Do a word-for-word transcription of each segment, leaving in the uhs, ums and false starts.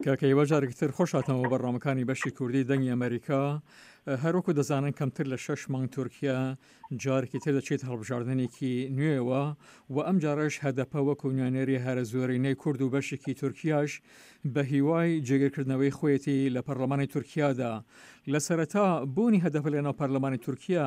کاکە هیوا جارێکی تر خۆش هاتنەوە بەرنامەکانی بەشی کوردی دەنگی ئەمەریکا. هەروەکو دەزانن کەمتر لە شەش مانگ تورکیا جارێکی تر دەچێت هەڵبژاردنێکی نوێوە و ئەم جارەش هەدەپە وەکو نوێنەری هەرە زۆرینەی کورد و بەشێکی تورکیاش بە هیوای جێگیرکردنەوەی خۆیەتی لە پەرلەمانی تورکیادا. لە سەرەتا بوونی هەدەپە لەناو پەرلەمانی تورکیا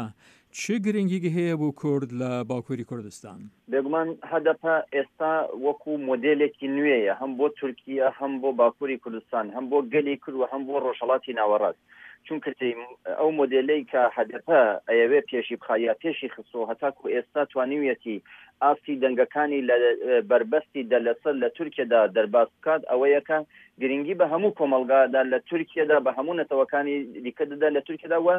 چ گرنگیگی هەیە بۆ کورد لە باکووری کوردستان؟ بێگومان هەدەپە ئێستا وەکو مۆدێلێکی نوێیە هەم بۆ تورکیا، هەم بۆ باکووری کوردستان، هەم بۆ گەلی کورد و هەم بۆ ڕۆژهەڵاتی ناوەڕاست. چونکە ئەو مۆدێلەی کە هەدەپە ئەیەوێ پێشی بخا یا پێشی خستووە هەتاکو ئێستا توانیویەتی ئاستی دەنگەکانی لە بەربەستی دە لەسەد لە تورکیەدا دەرباز بکات ئەوەیە کە گرنگی بە هەموو کۆمەڵگادا لە تورکیەدا بە هەموو نەتەوەکانی دیکە دەدا لە تورکیەدا و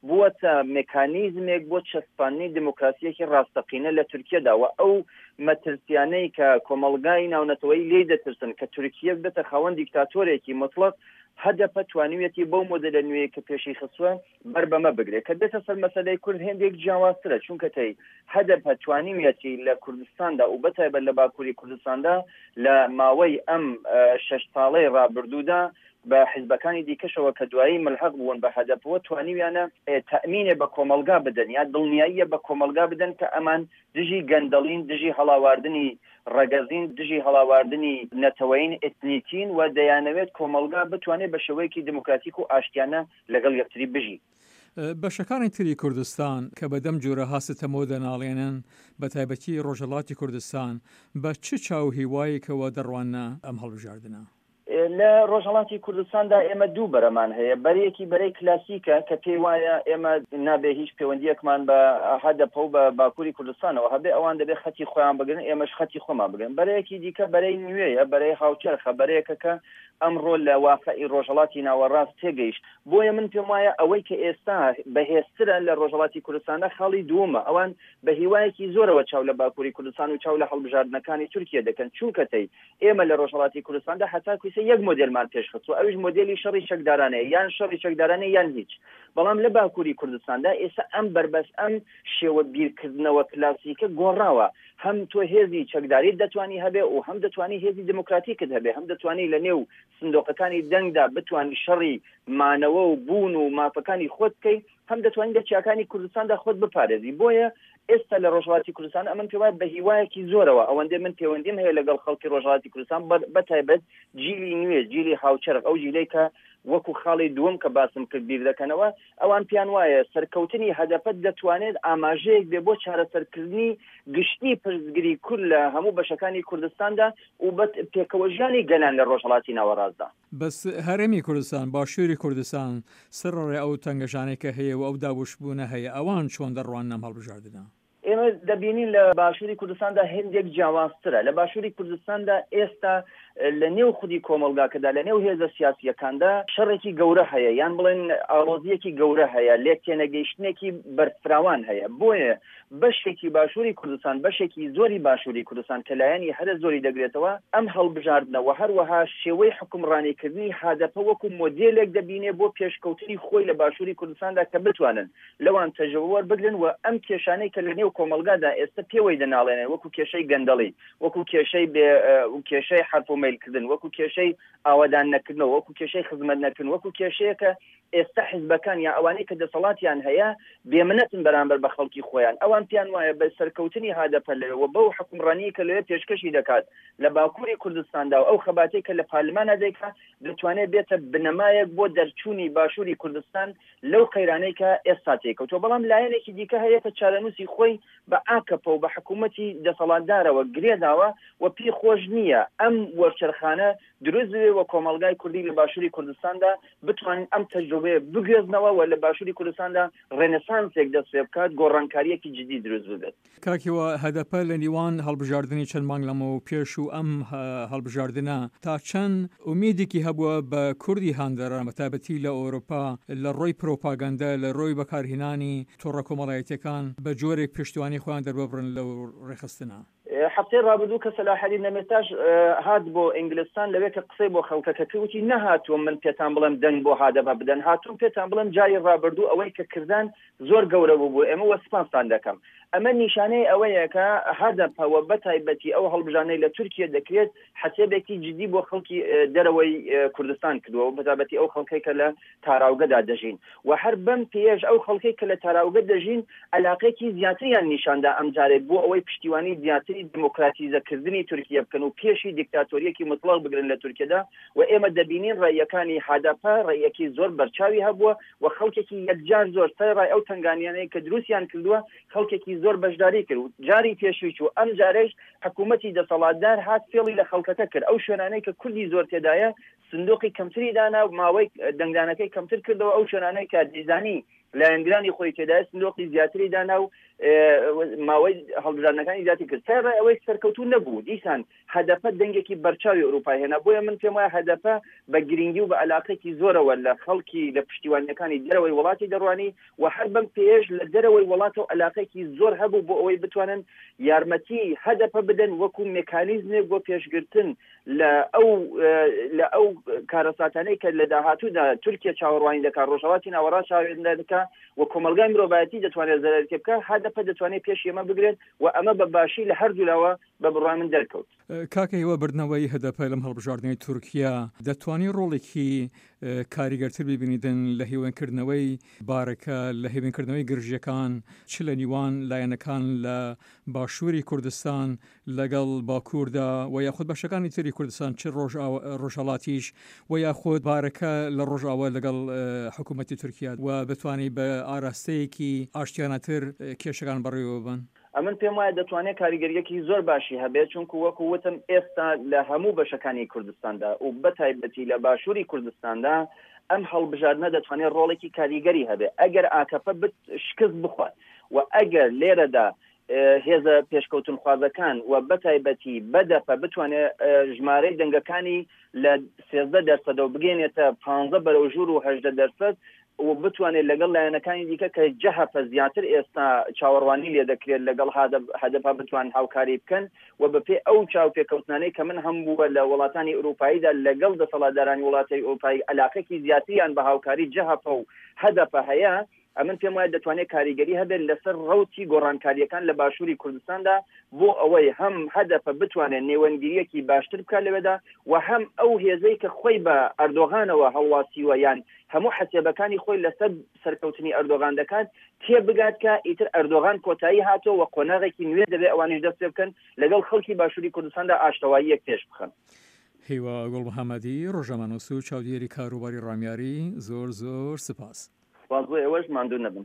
بووەتە مکانیزمێک بۆ چەسپاندنی دموکراسیەکی ڕاستەقینە لە تورکیەدا و ئەو مەترسیانەی کە کۆمەڵگای ناونەتەوەیی لێی دەترسن کە تورکیە ببێتە خاوەن دیکتاتۆرێکی مطلق هەدەپە توانیویەتی بەو مۆدێلە نوێیە کە پێشی خستووە بەر بەمە بگرێت. کە دێتە سەر مەسەلەی کورد هێندێک جیاوازترە، چونکە تەی هەدەپە توانیویەتی لە کوردستاندا و بەتایبەت لە باکووری کوردستاندا لە ماوەی ئەم شەش ساڵەی ڕابردوودا بە حیزبەکانی دیکەشەوە کە دوایی ملحەق بوون بە هەدەپەوە توانیویانە تەئمینێ بە کۆمەڵگا بدەن یا دڵنیاییە بە کۆمەڵگا بدەن کە ئەمان دژی گەندەڵین، دژی هەڵاواردنی ڕەگەزین، دژی هەڵاواردنی نەتەوەیین، ئێتنیکین و دەیانەوێت کۆمەڵگا بتوانێت بە شێوەیەکی دێموکراتیک و ئاشتیانە لەگەڵ یەکتری بژی. بەشەکانی تری کوردستان کە بە دەم جۆرەها ستەمەوە دەناڵێنن، بە تایبەتی ڕۆژهەڵاتی کوردستان، بە چ چاو و هیوایەکەوە دەڕواننە ئەم هەڵبژاردنە؟ لە ڕۆژهەڵاتی کوردستاندا ئێمە دوو بەرەمان هەیە، بەرەیەکی بەرەی کلاسیکە کە پێی وایە ئێمە نابێ هیچ پەیوەندییەکمان بە هەدەپە و بە باکووری کوردستانەوە هەبێ، ئەوان دەبێ خەتی خۆیان بگرن، ئێمەش خەتی خۆمان بگرن. بەرەیەکی دیکە بەرەی نوێیە، بەرەی هاوچەرخە، بەرەیەکە کە ئەمڕۆ لە واقعی ڕۆژهەڵاتی ناوەڕاست تێگەیشت. بۆیە من پێم وایە ئەوەی کە ئێستا بەهێزترە لە ڕۆژهەڵاتی کوردستاندا خاڵی دووەمە، ئەوان بە هیوایەکی زۆرەوە چاو لە باکووری کوردستان و چاو لە هەڵبژاردنەکانی تورکیە دەکەن، چونکە تەی ئێمە لە ڕۆژهەڵاتی کوردستاندا هەتاکو ئیستا یەک مۆدێلمان پێشخستووە ئەویش مۆدێلی شەڕی چەکدارانەیە، یان شەڕی چەکدارانە یان هیچ. بەڵام لە باکووری کوردستاندا ئێستا ئەم بەربەست ئەم شێوە بیرکردنەوە کلاسیکە گۆڕاوە، هەم تۆ هێزی چەکداریت دەتوانی هەبێ و هەم دەتوانی هێزی دێموکراتیکت هەبێ، هەم دەتوانی لە نێو سندۆقەکانی دەنگدا بتوانی شەڕی مانەوە و بوون و مافەکانی خۆت بکەی، هەم دەتوانی لە چیاکانی کوردستاندا خۆت بپارێزی. بۆیە ئێستا لە ڕۆژهەڵاتی کوردستان ئەمن پێم وایە بە هیوایەکی زۆرەوە ئەوەندەی من پەیوەندیم هەیە لەگەڵ خەڵکی ڕۆژهەڵاتی کوردستان بە تایبەت جیلی نوێ، جیلی هاوچەرخ، ئەو جیلەی کە وەکو خاڵی دووەم کە باسم کرد بیر دەکەنەوە، ئەوان پێیان وایە سەرکەوتنی هەدەپە دەتوانێت ئاماژەیەک بێ بۆ چارەسەرکردنی گشتی پرسگری کورد لە هەموو بەشەکانی کوردستاندا و بە پێکەوەژیانی گەلان لە ڕۆژهەڵاتی ناوەڕاستدا. بەس هەرێمی کوردستان، باشووری کوردستان، سەرەڕای ئەو تەنگەژانەی کە هەیە و ئەو دابەشبوونە هەیە، ئەوان چۆن دەڕواننە ئەم هەڵبژاردنە؟ ئێمە دەبینین لە باشووری کوردستاندا هێندێک جیاوازترە. لە باشووری کوردستاندا ئێستا لە نێو خودی کۆمەڵگاکەدا، لە نێو هێزە سیاسییەکاندا شەڕێکی گەورە هەیە، یان بڵێن ئاڵۆزییەکی گەورە هەیە، لێک تێنەگەیشتنێکی بەرفراوان هەیە. بۆیە بەشێکی باشووری کوردستان، بەشێکی زۆری باشووری کوردستان کە لایەنی هەرە زۆری دەگرێتەوە، ئەم هەڵبژاردنە و هەروەها شێوەی حوکمڕانیکردنی هادەپە وەکوو مۆدێلێک دەبینێ بۆ پێشکەوتنی خۆی لە باشووری کوردستاندا کە بتوانن لەوان تەجروبە وەربگرن و ئەم کێشانەی کە لە نێو کۆمەڵگادا ئێستە پێوەی دەناڵێنن وەکوو کێشەی گەندەڵی، وەکوو کێشەی بێ کێشەی حەرف و مەیل کردن، وەکوو کێشەی ئاوەدان نەکردنەوە، وەکوو کێشەی خزمەت نەکردن، وەکوو کێشەیەکە ئێستا حیزبەکان یا ئەوانەی کە دەسەڵاتیان هەیە بێمنەتن بەرامبەر بە خەڵکی خۆیان. ئەوان پێیان وایە بە سەرکەوتنی هادەپە لەوێ و بەو حوکمڕانییەی کە لەوێ پێشکەشی دەکات لە باکووری کوردستاندا و ئەو خەباتەی کە لە پارلمانا دەیکا دەتوانێت بێتە بنەمایەک بۆ دەرچوونی باشووری کوردستان لەو قەیرانەی کە ئێستا تێیکەوتووە. بەڵام لایەنێکی دیکە هەیە کە چارەنووسی خۆی بە ئاکەپە و بە حکوومەتی دەسەڵاتدارەوە گرێداوە و پێی خۆش نییە ئەم وەرچەرخانە دروست ببێ و کۆمەڵگای کوردی لە باشووری کوردستاندا بتوانن ئەم تەجروبەیە بگوێزنەوە و لە باشووری کوردستاندا ڕێنسانسێک دەست پێ بکات، گۆڕانکارییەکی جدی دروست ببێت. کاک هیوا، هەدەپە لە نیوان هەڵبژاردنی چەند مانگ لەمەو پێش و ئەم هەڵبژاردنە تا چەند ئومێدێکی هەبووە بە کوردی هاندەران بە تایبەتی لە ئەوروپا لە ڕۆی پرۆپاگەندە، لە ڕۆی بەکارهێنانی تۆڕە کۆمەڵایەتیەکان بە جۆرێک پشتیوانی خۆیان دەرببڕن لەو ڕێکخستنە؟ هەفتەی ڕابردوو کە سەلاحەدین دەمیرتاش هات بۆ ئینگلستان، لەوێ کە قسەی بۆ خەڵکەکە کرد وتی نەهاتووم من پێتان بڵێم دەنگ بۆ هەدەپە بدەن، هاتووم پێتان بڵێم جاری ڕابردوو ئەوەی کە کردان زۆر گەورە بوو بۆ ئێمە وە سپاستان دەکەم. ئەمە نیشانەی ئەوەیە کە هەدەپە وە بەتایبەتی ئەو هەڵبژانەی لە تورکیە دەکرێت حەسێبێکی جدی بۆ خەڵکی دەرەوەی کوردستان کردووە، بەتایبەتی ئەو خەڵکەی کە لە تاراوگەدا دەژین و هەر بەم پێش ئەو خەڵکەی کە لە تاراوگە دەژین علاقێکی زیاتریان نیشاندا ئەم جارێ بۆ ئەوەی پشتیوانی زیاتری دموکراتیزەکردنی تورکیە بکەن و پێشی دیکتاتۆریەکی مطلق بگرن لە تورکیەدا. و ئێمە دەبینین ڕێیەکانی هەدەپە ڕێیەکی زۆر بەرچاوی هەبووە و خەڵکێکی یەکجار زۆر سەرڕای ئەو تەنگانیانەی کە دروستیان کردووە خەڵکێکی زۆر بەشداری کرد و جاری پێشووی چوو. ئەم جارێش حکوومەتی دەسەڵاتدار هات فێڵی لە خەڵکەکە کرد. ئەو شوێنانەی کە کوردی زۆر تێدایە سندوقی کەمتری دانا و ماوەی دەنگدانەکەی کەمتر کردەوە. ئەو شوێنانەی کە دیزانی لایەنگرانی خۆی تێدایە سندوقی زیاتری دانا و ماوەی هەڵبژاردنەکانی زیاتر کرد. سەرڕای ئەوەی سەرکەوتوو نەبوو، دیسان هەدەپە دەنگێکی بەرچاوی ئەوروپای هێنا. بۆیە من پێم وایە هەدەپە بە گرنگی و بە علاقێکی زۆرەوە لە خەڵکی لە پشتیوانیەکانی دەرەوەی وڵاتی دەڕوانی و هەر بەم پێش لە دەرەوەی وڵاتەوە علاقێکی زۆر هەبوو بۆ ئەوەی بتوانن یارمەتی هەدەپە بدەن وەکو مێکانیزمێک بۆ پێشگرتن لە ئەو لە ئەو کارەساتانەی کە لە داهاتوودا تورکیا چاوەڕوانی دەکات، ڕۆژهەڵاتی ناوەڕاست چاوەڕوانی دەکات و کۆمەڵگای مرۆڤایەتی دەتوانێت زەرەر تێ بکات. هەدەپە دەتوانێت پێش ئێمە بگرێت و ئەمە بە باشی لە هەردوولاوە بە بڕوای من دەرکەوت. کاکە هیوا، بردنەوەی هەدەپە لەم هەڵبژاردنەی تورکیا دەتوانێت ڕۆڵێکی کاریگەرتر ببینیدن لە هێوەنکردنەوەی بارەکە، لە هێوەنکردنەوەی گرژیەکان چ لە نیوان لایەنەکان لە باشووری کوردستان لەگەڵ باکووردا و یاخود بەشەکانی تری کوردستان چ ڕۆژهەڵاتیش و یاخود بارەکە لە ڕۆژاوە لەگەڵ حکوومەتی تورکیا و بتوانێت بە ئاراستەیەکی ئاشتیانەتر کێشەکان بەڕێوە ببەن؟ ئەمن پێم وایە دەتوانێت کاریگەریەکی زۆر باشی هەبێت، چونکو وەکو وتم ئێستا لە هەموو بەشەکانی کوردستاندا و بەتایبەتی لە باشووری کوردستاندا ئەم هەڵبژاردنە دەتوانێت ڕۆڵێکی کاریگەری هەبێت ئەگەر ئاکەپە شکست بخوات و ئەگەر لێرەدا هێزە پێشکەوتنخوازەکان و بەتایبەتی بەدەپە بتوانێت ژمارەی دەنگەکانی لە سێزدە دەرسەدەوە بگەینێتە پانزە بەرەو ژوور و هەژدە دەرسەد و بتوانێت لەگەڵ لایەنەکانی دیکە کە جەهەپە زیاتر ئێستا چاوەڕوانی لێ دەکرێت لەگەڵ هەدەپە بتوان هاوکاری بکەن و بەپێ ئەو چاوپێکەوتنانەی کە من هەم بووە لە وڵاتانی ئەوروپاییدا لەگەڵ دەسەڵاتدارانی وڵاتی ئەوروپایی علاقێکی زیاتریان بە هاوکاری جەهەپە و هەدەپە هەیە. ئەمن پێم وایە دەتوانێت کاریگەری هەبێت لەسەر ڕەوتی گۆڕانکاریەکان لە باشووری کوردستاندا بۆ ئەوەی هەم هەدەپە بتوانێت نێوەندگیریەکی باشتر بکات لەوێدا و هەم ئەو هێزەی کە خۆی بە ئەردۆغانەوە هەڵواسیوە یان هەموو حەسێبەکانی خۆی لەسەر سەرکەوتنی ئەردۆغان دەکات تێبگات کە ئیتر ئەردۆغان کۆتایی هاتەوە و قۆناغێکی نوێ دەبێت ئەوانیش دەست پێ بکەن لەگەڵ خەڵکی باشووری کوردستاندا ئاشتەواییەک پێش بخەن. هیوا گوڵ محەممەدی، ڕۆژنامەنووس و چاودێری کاروباری ڕامیاری، زۆر زۆر سپاس. سپاس بۆ ئێوەش، ماندوو نەبن.